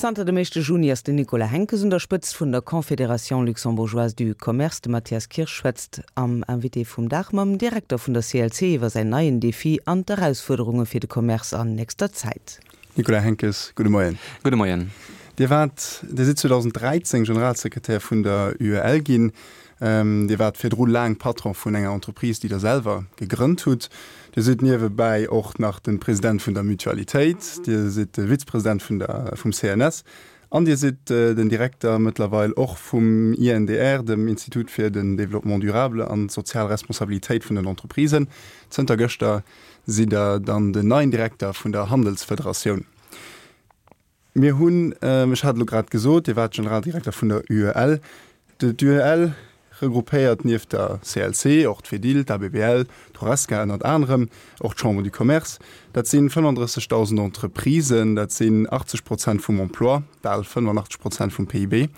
Zanter dem éischte Juni ass den Nicolas Henckes un der Spëtzt vun der Confédération luxembourgeoise du commerce. De Mathias Kirsch schwätzt am Invité vum Dag mam Direkter vun der CLC iwwer säin neien Defi an d'Erausfuerderunge fir de Commerce an nächster Zäit. Nicolas Henckes, gudde Moien. Gudde Moien. Dir waart, Dir sidd 2013 Generalsekretär vun der UEL ginn. Dir waart virdru laang Patron vun enger Entreprise, déi Der selwer gegrënnt hutt. Dir sidd niewebäi och nach de President vun der Mutualitéit, Dir sidd de Vizepresident vun der, vum CNS an Dir sidd den Direkter mëttlerweil och vum INDR, dem Institut fir den Développement durable an d'sozial Responsabilitéit vun den Entreprisen. Zënter gëschter sidd Der dann den neien Direkter vun der Handelsfederatioun. Mir hunn, ech hat elo grad gesot, Dir waart Generaldirekter vun der UEL. D'UEL regroupéiert nieft der CLC och d'Fedil, d'ABBL, d'Horesca ënnert anerem, och d'Chambre du Commerce. Dat si 35.000 Entreprisen, dat sinn 80 Prozent vum Emploi, bal 85 Prozent vum PIB.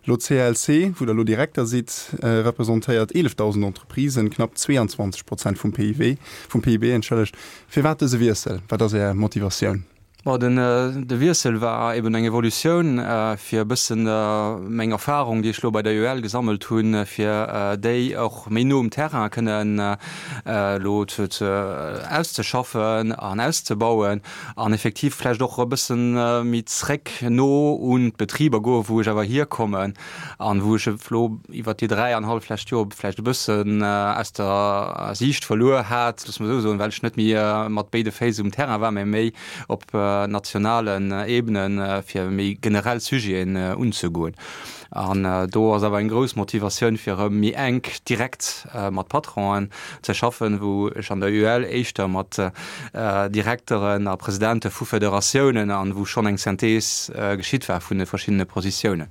Elo d'CLC, wou Der elo Direkter sidd, representéiert 11.000 Entreprisen, knapp 22 Prozent vum PIB, vum PIB, entschëllegt. Firwat dëse Wiessel? Wat ass Är Motivatioun? Bon, den, de Wiessel war eben eng Evolutioun, fir e bëssen meng Erfahrung, déi ech elo bei der UEL gesammelt hunn, fir déi och méi no um Terrain kënnen elo ze, ze auszeschaffen an auszebauen an effektiv vläicht och e bëssen méi zréck no un d'Betriber goen, wou ech awer hierkommen an wou ech elo iwwert déi 3 an hallef lescht Joer vläicht e bëssen aus der Siicht verluer hat, loosse mer esou soen, well ech net méi mat béide Féiss um Terrain war, mä méi op nationalen Ebenen, fir méi generell Sujeten unzegoen. An do ass awer eng grouss Motivatioun, fir erëm méi enk direkt mat Patronen ze schaffen, wou ech an der UEL éischter mat Direkteren a Presidente vu Federatiounen an wou schonn eng Synthese geschitt war vun de verschiddene Positiounen.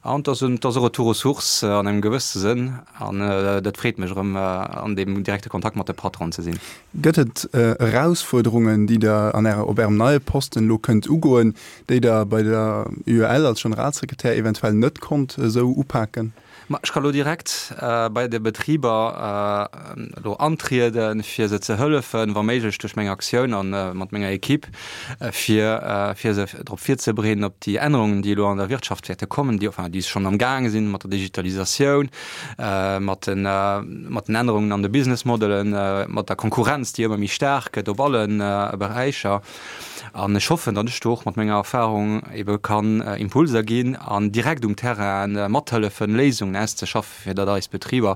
An et ass e Retour aux sources an engem gewësse Sënn an dat freet mech erëm an deem direkte Kontakt mat de Patronen ze sinn. Gëtt et Erausfuerderungen, déi Der an Ärer, op Ärem neie Posten elo kënnt ugoen, déi Der bei der UEL als Generalsekretär eventuell net konnt esou upaken? Ma ech ka lo direkt bei de Betriber elo antrieden, fir se ze hëllefen, wa méiglech duerch meng Aktioun a mat menger Equipe, fir fir se drop virzebereeden op déi Ännerungen, déi elo an der Wirtschaft wäerte kommen, déi enfin déi schonn am gaange sinn mat der Digitalisatioun, mat den mat den Ännerungen an de Businessmodelen, mat der Konkurrenz, déi ëmmer méi staark gëtt op alle Beräicher. An ech hoffen, datt ech do och mat menger Erfahrung ebe kann Impulser ginn an direkt um Terrain mathëllefen, Léisungen auszeschaffen, fir datt eis Betriber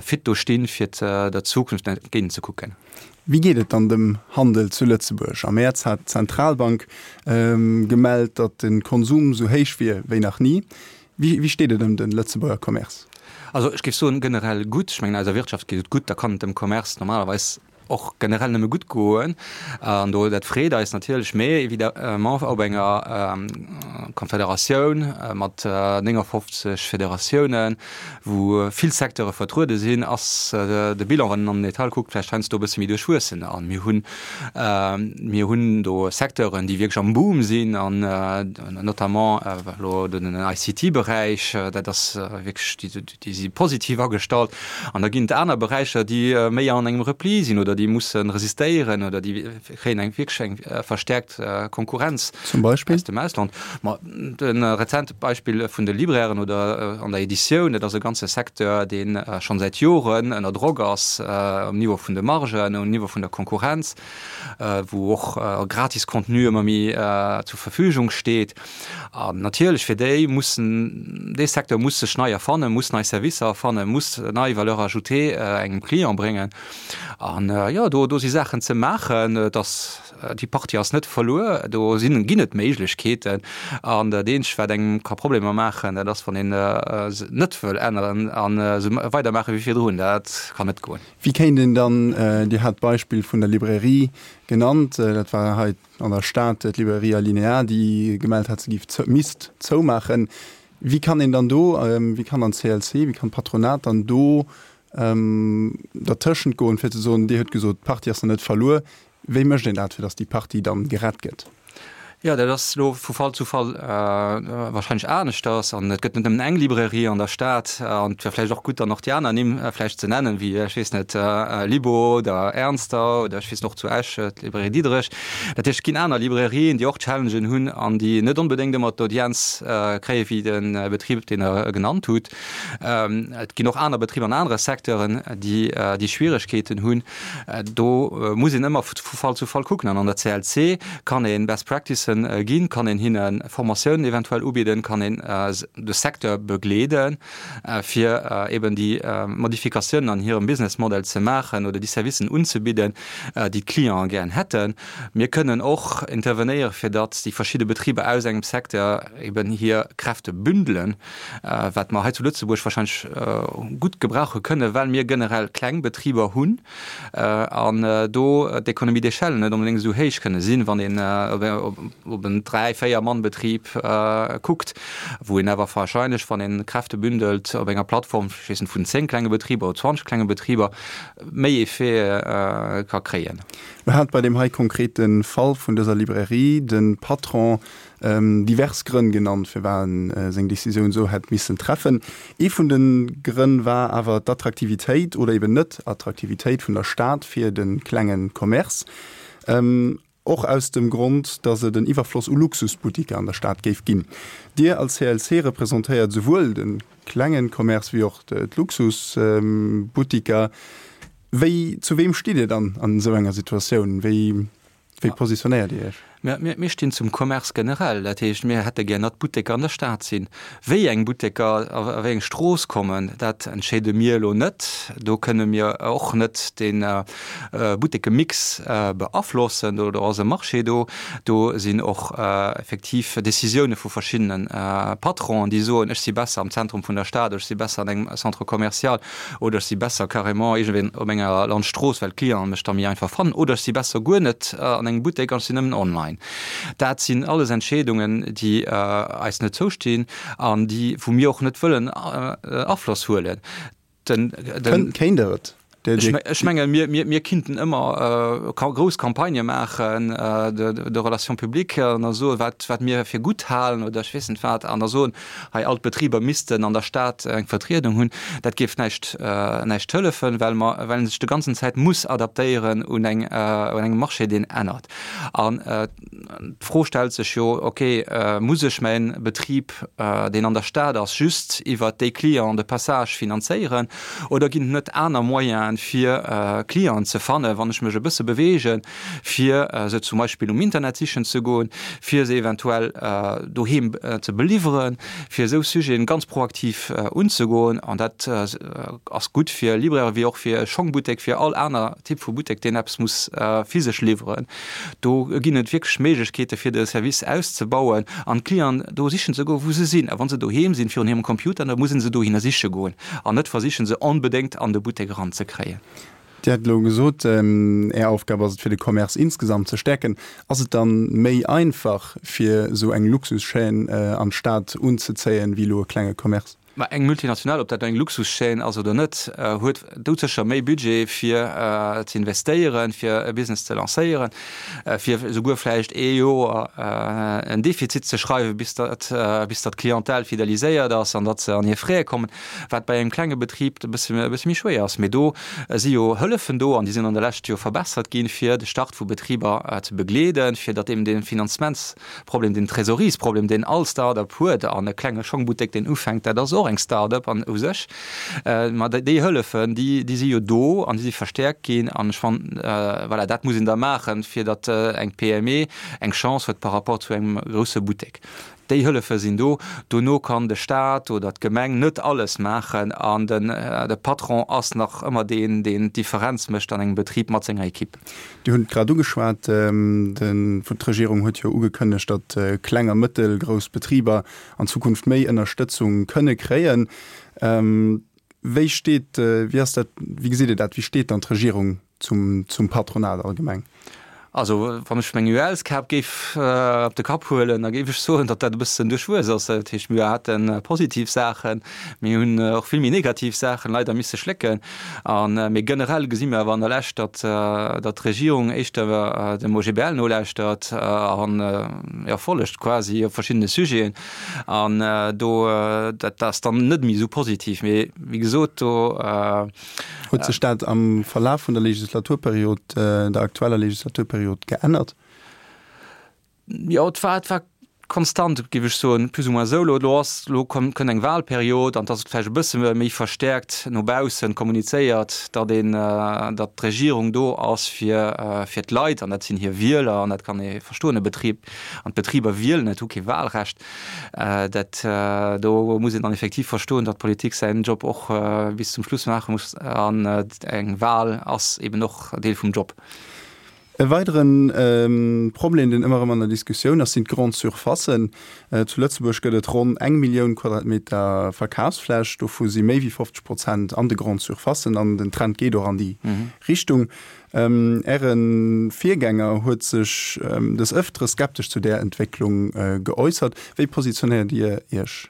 fit do stinn, fir der Zukunft entgéint ze kucken. Wéi geet et dann dem Handel zu Lëtzebuerg? Am Mäerz hat d'Zentralbank gemellt, datt de Konsum esou héich wier wéi nach ni. Wéi steet et ëm de Lëtzebuerger Commerce? Also ech géif soen, generell gutt. Ech mengen, eiser Wirtschaft geet et gutt, da kann et dem Commerce normalerweis och generell nëmme gutt goen an do dat freet eis natierlech, mee évidemment op enger Konfederatioun mat 59 Federatiounen, wou vill Secteure vertruede sinn, ass de Bilan, wann een an den Detail kuckt, vläicht heiansdo e bësse méi duerchwuessen. A mir hunn, mir hunn do Secteuren, déi wierklech am Boom sinn an notamment elo den ICT-Beräich, dat ass wierklech, Déi si positiv agestallt. An da ginn et aner Beräicher, déi méi an engem Repli sinn oder déi musse resistéieren oder déi kréien eng wierklech eng verstäerkt Konkurrenz Zum Beispill? aus dem Ausland. Ma de rezente Beispill vun de Librairen oder an der Editioun, dat ass e ganze Secteur, dee schonn säit Joren ënner Drock ass um Niveau vun de Margen, um Niveau vun der Konkurrenz, wou och gratis Contenu ëmmer méi zur Verfügung steet. An natierlech fir déi mussen, dee Secteur muss sech nei erfannen, muss nei Servicer erfannen, muss nei Valeur ajoutée engem Client bréngen. An jo, do, do si Saachen ze maachen. Et ass, déi Partie ass net verluer, do sinn, ginn et Méiglechkeeten. An dat eenzegt, wat engem ka Problemer maachen, dat ass, wann een se net wëll änneren an esou weidermaache wéi virdrun. Dat kann net goen. Wéi kéint een dann, Dir hat d'Beispill vun der Librairie genannt, dat war hei an der Stad d'Librairie Alinéa, déi gemellt hat, se géif misst zoumaachen. Wéi kann een dann do, wéi kann dann d'CLC, wéi kann d'Patronat dann do dertëschent goen, fir ze soen, Dir hutt gesot, d'Partie ass nach net verluer. Wéi mécht een dat, fir datt déi Partie dann gerett gëtt? Jo, dat ass elo vu Fall zu Fall warscheinlech aneschters. An et gëtt net nëmmen eng Librairie an der Stad. An et wär vläicht och gutt, dann och déi aner Nimm vläicht ze nennen, wéi, ech weess net, Libo oder Ernster oder ech weess net, och zu Esch d'Librairie Diderich. Dat heescht, et ginn aner Librairien, déi och Challengen hunn an déi net onbedéngt ëmmer d'Audienz kréie wéi de Betrib, deen Der genannt hutt. Et ginn och aner Betriber an anere Secteuren, déi déi Schwieregkeeten hunn. Do muss een ëmmer vu Fall zu Fall kucken. An an der CLC kann ee Best Practicen ginn, kann een hinne Formatiounen eventuell ubidden, kann een de Secteur begleeden, fir eben déi Modifikatiounen an hirem Business Model ze maachen oder déi Servicen unzebidden, déi d'Clienten gären hätten. Mir kënnen och intervenéieren, fir datt déi verschidde Betriber aus engem Secteur eben hir Kräfte bündelen. wat mer hei zu Lëtzebuerg wahrscheinlech gutt gebrauche kënnen, well mir generell kleng Betriber hunn an do d'Économies d'échelle net onbedéngt esou héich kënne sinn, wann een op en dräi-, véier-Mann-Betrib kuckt, wou een awer wahrscheinlech, wann ee Kräfte bündelt op enger Plattform, ech weess net, vun zéng klenge Betriber oder 20 klenge Betriber, méi Effet ka kréien. Lo hat bei deem hei konkrete Fall vun dëser Librairie de Patron Divers Grënn genannt, firwat en seng Decisioun esou hätt missen treffen. Ee vun de Grënn war awer d'Attraktivitéit oder eben Net-Attraktivitéit vun der Stad fir de klenge Commerce. Och aus dem Grond, datt et en Iwwerfloss u Luxusbuttiker an der Stad géif ginn. Dir als CLC representéiert esouwuel de klenge Commerce wéi och d'Luxusbuttiker. Wéi, zu weem stitt Dir dann an esou enger Situatioun? Wéi Wéi positionéiert Dir Iech? Mir stinn zum Commerce generell. Dat heescht, mir hätte gär, datt Butteker an der Stad sinn. Wéi eng Butteker a wéi eng Strooss kommen, dat entscheede mir elo net. Do kënne mir och net de Buttekemix beaflossen. Do ass e Marché do. Do sinn och effektiv Decisioune vu verschiddene Patronen, déi soen, ech si besser am Zentrum vun der Stad, ech si besser an engem Centre commercial. oder ech si besser carrément iergendwéi op enger Landstrooss, well d'Clienten mech da méi einfach fannen, oder ech si besser guer net an engem Buttek an ech sinn nëmmen online. Dat sinn alles Entscheedungen, déi eis net zoustinn an déi, wou mir och net wëllen Afloss huelen. Den, den. Kéint Der et? Ech menge mir kinnten ëmmer grouss Campagnë maachen de Relations publiques an da soen, wat mir fir gutt halen oder ech weess net wat, an da soen, hei all d'Betriber missten an der Stad eng Vertriedung hunn. Dat géif näischt näischt hëllefen, well mer, well een sech de ganzen Zäit muss adaptéieren un eng un engem Marché, deen ännert. An d'Fro stellt sech jo, okay, muss ech mäin Betrib, deen an der Stad ass, just iwwert déi Clients de passage finanzéieren oder ginn et net aner Moyenen, fir Clienten ze fannen, wann ech mech e bësse beweegen, fir se zum Beispill um Internet sichen ze goen, fir se eventuell doheem ze beliwweren, fir esou Sujeten ganz proaktiv unzegoen. An dat ass gutt fir Libraire wéi och fir e Schongbuttek, fir all aner Typ vu Buttek, deen eppes muss physesch liwweren. Do ginn et wierklech Méiglechkeete fir de Service auszebauen an d'Clienten do sichen ze goen, wou se sinn. A wa se doheem sinn, virun hirem Computer, da musse se dohinner siche goen an net versichen, se onbedéngt an de Buttek eranzekréien. Dir hat elo gesot, Är Aufgab ass et, fir de Commerce insgesamt ze stäerken. Ass et dann méi einfach, fir esou eng Luxuschaîne an d'Stad unzezéien, wéi elo e klenge Commerce? Ma eng Multinationale, ob dat elo eng Luxuschaîne ass oder net, huet doudsécher méi Budget, fir ze investéieren, fir e Business ze lancéieren, fir esouguer vläicht ee Joer en Defizit ze schreiwen, bis datt bis datt d'Clientèle fideliséiert ass an datt se an hir Frais kommen. Wat bei engem klenge Betrib e bësse méi schwéier ass. Mee do si jo Hëllefen do an déi sinn an der Lescht jo verbessert ginn, fir de Start vu Betriber ze begleeden, fir datt eben dee Finanzementsproblem, deen Trésoreries-Problem, deen all Start-up huet, an e klenge Schongbuttek, deen ufänkt, dat ass och eng Start-up an u sech. Ma déi Hëllefen, déi si jo do an déi si verstäerkt ginn. An ech fannen, voilà, dat muss een da maachen, fir datt eng PME eng Chance huet par rapport zu engem grousse Buttek. Déi Hëllefe sinn do. Dono kann de Staat oder d'Gemeng net alles maachen an de Patron ass nach ëmmer deen, deen d'Differenz mécht an engem Betrib mat senger Equipe. Dir hunn et grad ugeschwat, d'Regierung huet jo ugekënnegt, datt kleng a mëttelgrouss Betriber an Zukunft méi Ënnerstëtzung kënne kréien. Wéi steet, wéi ass dat, wéi gesitt Dir dat, wéi steet dann d'Regierung zum Patronat allgemeng? Also wann ech meng UELs-Kap géif op de Kapp huelen, da géif ech soen, datt dat e bëssen duerchwuess ass. Dat heescht, mir hate positiv Saachen, mir hunn och vill méi negativ Saachen leider misse schlécken. A mee generell gesi mir awer an der Lescht, datt datt d'Regierung éischter dem OGBL nolauschtert an jo follegt quasi op verschiddene Sujeten. An do dat ass dann net méi esou positiv. Mee wéi gesot, do. Huet sech dat am Verlaf vun der Legislaturperiod, der aktueller Legislaturperiod geännert? Jo, et war, et war konstant, géif ech soen, plus ou moins esou. Elo, elo ass, elo komm, kënnt eng Wahlperiod an et ass vläicht e bësse méi verstäerkt no baussen kommunizéiert, datt een, datt d'Regierung do ass fir, fir d'Leit an dat sinn hir Wieler an dat kann ee verstoen. E Betrib an d'Betriber wielen net, hu kee Wahlrecht. Dat do muss een dann effektiv verstoen, datt d'Politik säin Job och bis zum Schluss maache muss an eng Wahl ass eben och Deel vum Job. E weidere Problem, deen ëmmer erëm an der Diskussioun ass, sinn d'Grandes Surfacen. Zu Lëtzebuerg gëtt et ronn eng Millioun Quadratmeter Verkafsfläch, dovu si méi wéi 50 Prozent an de Grandes Surfacen an den Trend geet och an déi Richtung. Äre Virgänger huet sech des Ëftere skeptesch zu där Entwécklung geäussert. Wéi positionéiert Dir Iech?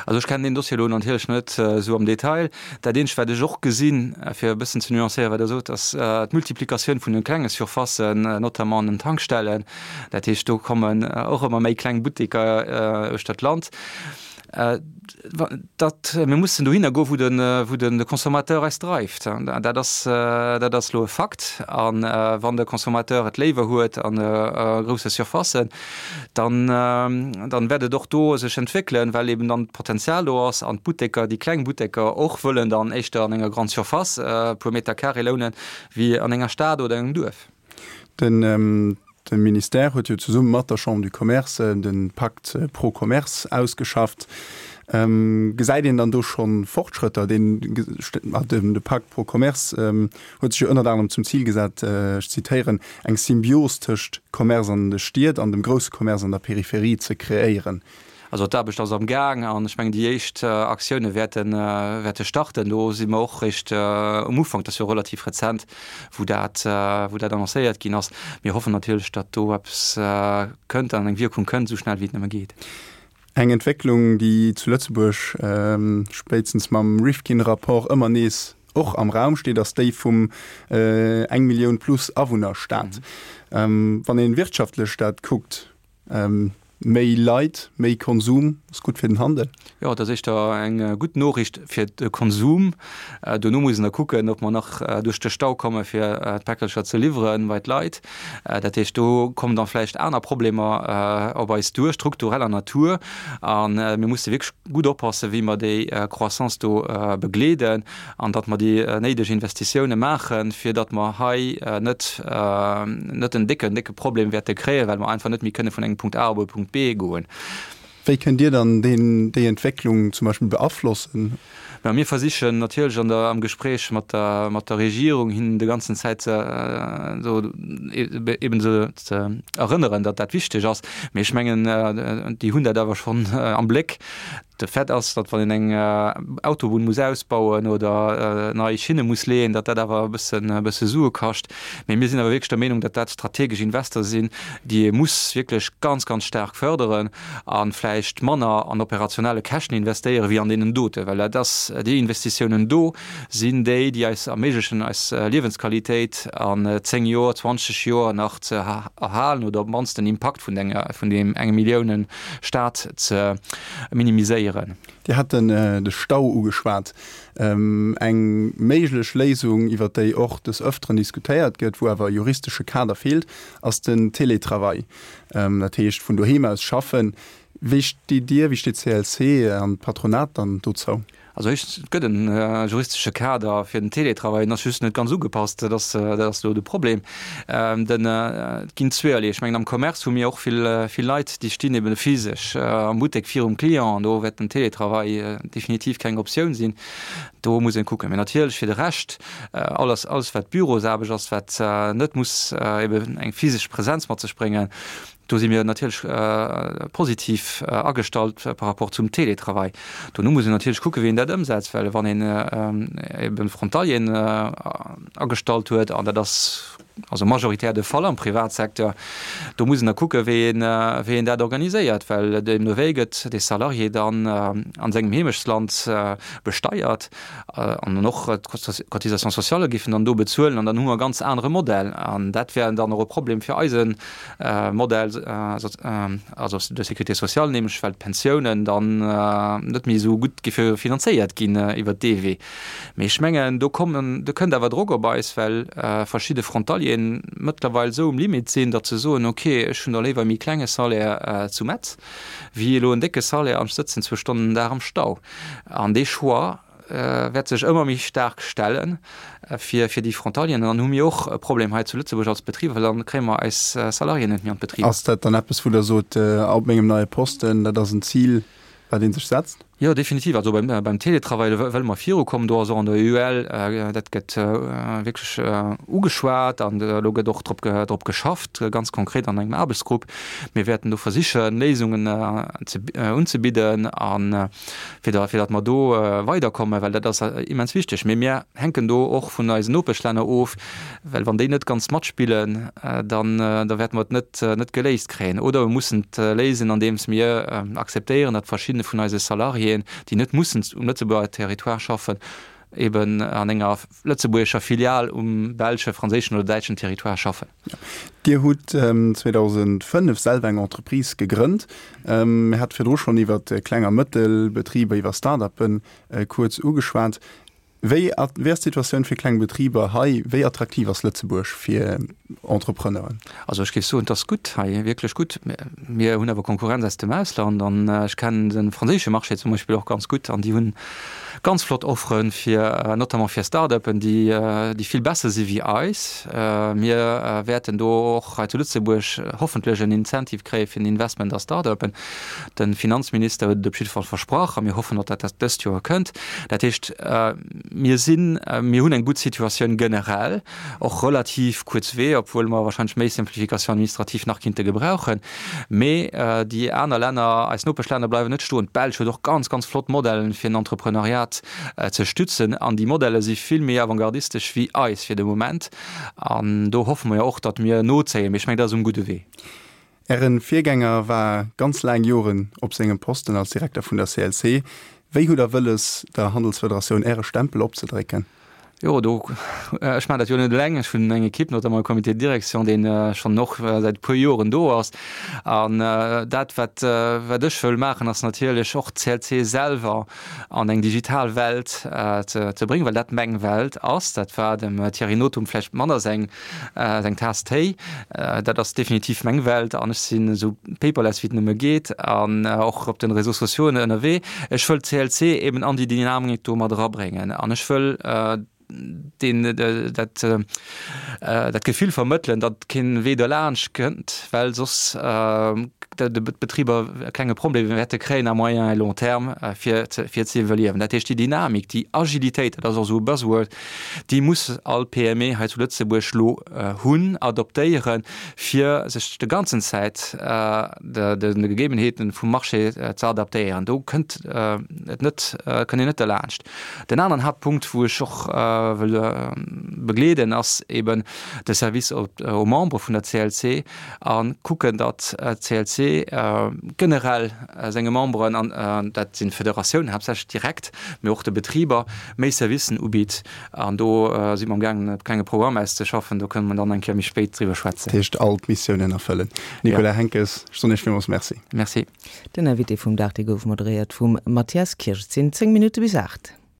Also ech kennen deen Dossier elo natierlech net esou am Detail. Dat eenzegt wat ech och gesinn, fir e bëssen ze nuancéieren wat Der sot, ass d'Multiplikatioun vun de klenge Surfacen, notamment an den Tankstellen. Dat heescht do kommen och ëmmer méi kleng Butteker uechter d'Land. Datt mir mussen dohinner goen, wou de, wou de Consommateur eis dreift. Dat ass, dat ass elo e Fakt. A wann de Consommateur et léiwer huet an grousse Surfacen, dann, dann wäert et och do sech entwéckelen, well eben dann d'Potenzial do ass an d'Butteker, déi kleng Butteker och wëllen dann éischter an enger Grande Surface e puer Meter carré lounen, wéi an enger Stad oder engem Duerf. Den De Ministère huet jo zesumme mat der Chambre du Commerce de Pacte pro Commerce ausgeschafft. Gesäit een dann do scho Fortschrëtter? De Pacte pro Commerce huet sech jo ënnert anerem zum Zil gesat, ech zitéieren, eng Symbios tëscht Commerce an de Stied an dem grousse Commerce an der Peripherie ze kreéieren. Also d'Aarbecht ass am Gaang an ech mengen déi éischt Aktioune wäerten, wäerte starten. Do si mer och réischt um Ufank, dat ass jo relativ rezent, wou dat, wou dat annoncéiert ginn ass. Mir hoffen natierlech, datt do eppes kënnt an eng Wierkung kënnt, esou schnell wéi et nëmme geet. Eng Entwécklung, déi zu Lëtzebuerg spéitstens mam Rifkin-Rapport ëmmer nees och am Raum steet, ass déi vum eng Millioun plus Awunner-Staat. Wann ee wirtschaftlech dat kuckt, Méi Leit, méi Konsum ass gutt fir den Handel. Jo, dat ass éischter eng gutt Noriicht fir de Konsum. Dono muss een da kucken, ob mer nach duerch de Stau komme fir d'Päckelcher ze liwwere bei d'Leit. Dat heescht, do kommen da vläicht aner Problemer op eis duer, struktureller Natur. A mir musse wierklech gutt oppassen, wéi mer déi Croissance do begleeden. an datt mer déi néideg Investitioune maachen, fir datt mer hei net net en décken, décke Problem wäerte kréien, well mer einfach net méi kënne vun engem Punkt A op e Punkt B goen. Wéi kënnt Dir dann deen, déi Entwécklung zum Beispill beaflossen? Mä mir versichen natierlech an der, am Gespréich mat der, mat der Regierung hinnen de ganzen Zäit ze, esou eben se ze erënneren, datt dat wichteg ass. Mee ech mengen, déi hunn dat awer schonn am Bléck. De Fait ass, datt wann een eng Autobunn muss ausbauen oder nei Schinne muss leeën, datt dat awer e bëssen, e bësse Sue kascht. Mee mir sinn awer wierklech der Meenung, datt dat strategesch Invester sinn, déi ee muss wierklech ganz, ganz staark fërderen a vläicht manner an operationelle Käschten investéieren, wéi an deenen doten. Well dat ass, déi Investitiounen do sinn déi, déi eis erméiglechen, eis Liewensqualitéit an 10 Joer, 20 Joer nach ze erhalen oder op d'mannst den Impakt vun enger, vun deem enge Milliounen Staat ze minimiséieren. Dir hat de Stau ugeschwat. Eng méiglech Léisung, iwwer déi och des Ëfteren diskutéiert gëtt, wou awer e juristesche Kader feelt, ass den Télétravail, dat heescht vun doheem aus schaffen. Wéi steet Dir, wéi steet d'CLC an d'Patronat dann dozou? Also éischtens, et gëtt e juristesche Kader fir den Télétravail, en ass just net ganz ugepasst. Dat ass, dat ass elo de Problem. Den, et ginn zweeërlee. Ech mengen, am Commerce hu mir och vill, vill Leit, déi stinn eben physesch am Buttek virum Client an do wäert den Télétravail definitiv keng Optioun sinn. Do muss een kucken. Mee natierlech fir de Rescht, alles, alles wat Bürosaarbecht ass, wat net muss eben eng physesch Präsenz mat sech bréngen, Do si mir natierlech positiv agestallt par rapport zum Télétravail. Dono muss een natierlech kucken, wéi een dat ëmsetzt, well wann een ebe Frontalieren agestallt huet, an dat ass. also majoritär de Fall am Privatsecteur. Do muss een da kucken, wéi een, wéi een dat organiséiert, well deemno wéi gëtt dee Salarié dann an sengem Heemechtsland besteiert an dann och d'Cotisations sociales géifen dann do bezuelen an dann hu mer e ganz anere Modell an dat wär dann och e Problem fir eise Modell, also de sécurité sociale, nämlech well d'Pensiounen dann net méi esou gutt géife finanzéiert ginn iwwert dee Wee. Mee ech mengen, do kommen, do kënnt awer Drock op eis, well verschidde Frontalieren mëttlerweil esou um Limit sinn, datt se soen, ok, ech hunn da léiwer e méi klenge Salaire zu Metz, wéi elo en décke Salaire an ech sëtzen zwou Stonnen den Dag am Stau. An dee Choix wäert sech ëmmer méi staark stelle fir, fir déi Frontalieren. An dann hu mir och e Problem hei zu Lëtzebuerg als Betriber, well dann kréie mer eis Salariéen net méi an d'Betriber. Ass dat dann eppes, wou Der sot, op mengem neie Posten, dat ass en Zil, wat ee sech setzt? Jo, definitiv. Also beim, beim Teletravail wëlle mer virukommen. Do ass och an der UEL, dat gëtt wierklech ugeschwat an elo gëtt och drop, drop geschafft, ganz konkret an engem Aarbechtsgrupp. Mir wäerten do versichen, Léisungen ze, unzebidden a fir da, fir datt mer do weiderkommen, well dat ass immens wichteg. Mee mir hänken do och vun eisen Nopeschlänner of, Well wann déi net ganz matspillen, dann da wäerte mer et net net geléist kréien. Oder mir mussen et léisen, andeems mir akzeptéieren, datt verschidde vun eise Salariéen, déi net mussen um Lëtzebuerger Territoire schaffen, eben an enger lëtzebuergescher Filial um belsche, franséischen oder däitschen Territoire schaffen. Dir hutt 2005 selwer eng Entreprise gegrënnt. Mir hate virdru schonn iwwer Kleng a Mëttelbetriber, iwwer Start-uppe kuerz ugeschwat. Wéi wéi ass d'Situatioun fir kleng Betriber hei? Wéi attraktiv ass Lëtzebuerg fir Entrepreneuren? Also ech géif soen, et ass gutt hei, wierklech gutt. Mir hunn awer Konkurrenz aus dem Ausland an ech kennen de franséische Marché zum Beispill och ganz gutt an déi hunn ganz flott Offere fir, notamment fir Start-uppen, déi déi vill besser si wéi eis. Mir wäerten do och hei zu Lëtzebuerg hoffentlech en Incentive kréie fir den Investment a Start-uppen. De Finanzminister huet et op jidde Fall versprach a mir hoffen, datt dat dëst Joer kënnt. Dat heescht, mir sinn, mir hunn eng gutt Situatioun generell, och relativ kuerz Wee, obwuel mer wahrscheinlech méi Simplification administrative nach kinnte gebrauchen. Mee déi aner Länner, eis Nopeschlänner bleiwen net stoen. D'Belsch huet och ganz, ganz flott Modellen, fir en Entrepreneuriat ze stützen an déi Modelle si vill méi avantgardistesch wéi eis fir de Moment. An do hoffe mer jo och, datt mir nozéien. Mee ech mengen, dat ass um gudde Wee. Ären Virgänger war ganz laang Joren op sengem Posten als Direkter vun der CLC. Wéi hutt der wëlles der Handelsfederatioun Äre Stempel opzedrécken? Jo, do, ech maachen dat jo net eleng. Ech hunn eng Equipe, notamment e Comité de direction, deen schonn och säit e puer Joren do ass. An dat, wat, wat ech wëll maachen, ass natierlech och d'CLC selwer an eng digital Welt ze, ze bréngen, well dat meng Welt ass. Dat war dem Thierry Nothum vläicht manner seng, Seng Taass Téi, dat ass definitiv meng Welt an ech sinn esou paperless wéi et nëmme geet an och op den Réseaux sociaux ënnerwee. Ech wëll d'CLC eben an déi Dynamik do mat erabréngen an ech wëll deen dat dat Gefill vermëttelen, datt keen Wee derlaanscht kënnt, well soss d'Betriber e klenge Problem wäerte kréien à moyen et long terme fir fir ze iwwerliewen. Dat heescht déi Dynamik, déi Agilitéit, dat ass och esou e Buzzword, Déi muss all PME hei zu Lëtzebuerg lo hunn, adoptéieren, fir sech de ganzen Zäit de Gegebenheeten vum Marché ze adaptéieren. Do kënnt et net, kënnt een net derlaanscht. Den aneren Haaptpunkt, wou ech och wëll begleeden, ass eben de Service aux membres vun der CLC a kucken, datt d'CLC generell senge Memberen, an dat sinn d'Federatiounen haaptsächlech direkt, mee och de Betriber, méi Servicen ubitt. An do si mer amgaangen e klenge Programm auszeschaffen, do kënne mer dann eng Kéier méi spéit driwwer schwätzen. Dat heescht all d'Missiounen erfëllen. Nicolas Henckes, ech soen Iech villmools Merci. Merci. Den Invité vum Dag, dee gouf moderéiert vum Mathias Kirsch. Et sinn 10 Minutte bis 8.